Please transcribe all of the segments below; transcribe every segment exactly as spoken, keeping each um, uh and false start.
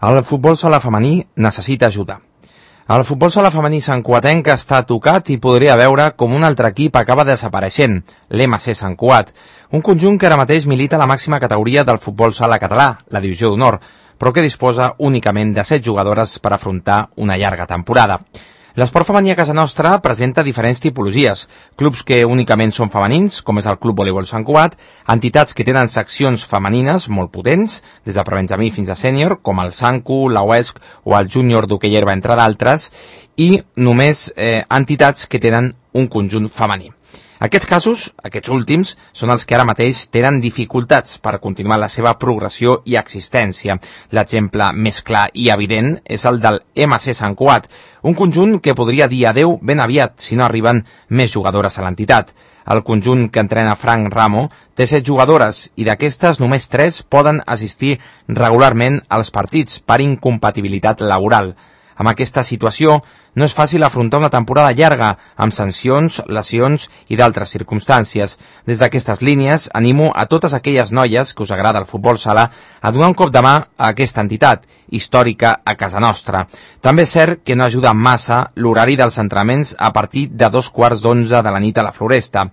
El futbol sala femení necessita ajuda. El futbol sala femení santcuatenc està tocat i podria veure com un altre equip acaba desapareixent, l'M C Sant Cugat, un conjunt que ara mateix milita a la màxima categoria del futbol sala català, la divisió d'honor, però que disposa únicament de set jugadores per afrontar una llarga temporada. L'esport femení a casa nostra presenta diferents tipologies, clubs que únicament són femenins, com és el Club Voleibol Sant Cugat, entitats que tenen seccions femenines molt potents, des de prebenjamí fins a sènior, com el Sancu, la U E S C o el Júnior d'Hoquei Herba, entre d'altres, i només eh, entitats que tenen un conjunt femení. Aquests casos, aquests últims, són els que ara mateix tenen dificultats per continuar la seva progressió i existència. L'exemple més clar i evident és el del M C Sant Cugat, un conjunt que podria dir adeu ben aviat si no arriben més jugadores a l'entitat. El conjunt que entrena Frank Ramo té set jugadores i d'aquestes només tres poden assistir regularment als partits per incompatibilitat laboral. Amb aquesta situació, no és fàcil afrontar una temporada llarga, amb sancions, lesions i d'altres circumstàncies. Des d'aquestes línies, animo a totes aquelles noies que us agrada el futbol sala a donar un cop de mà a aquesta entitat, històrica a casa nostra. També és cert que no ajuda massa l'horari dels entrenaments a partir de dos quarts d'onze de la nit a la Floresta.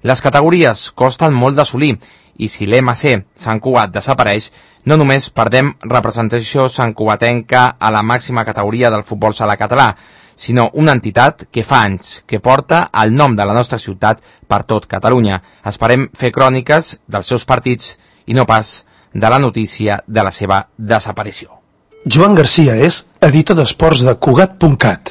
Les categories costen molt d'assolir i si l'M C Sant Cugat desapareix, no només perdem representació santcugatenca a la màxima categoria del futbol sala català, sinó una entitat que fa anys que porta el nom de la nostra ciutat per tot Catalunya. Esperem fer cròniques dels seus partits i no pas de la notícia de la seva desaparició. Joan Garcia és editor d'esports de Cugat punt cat.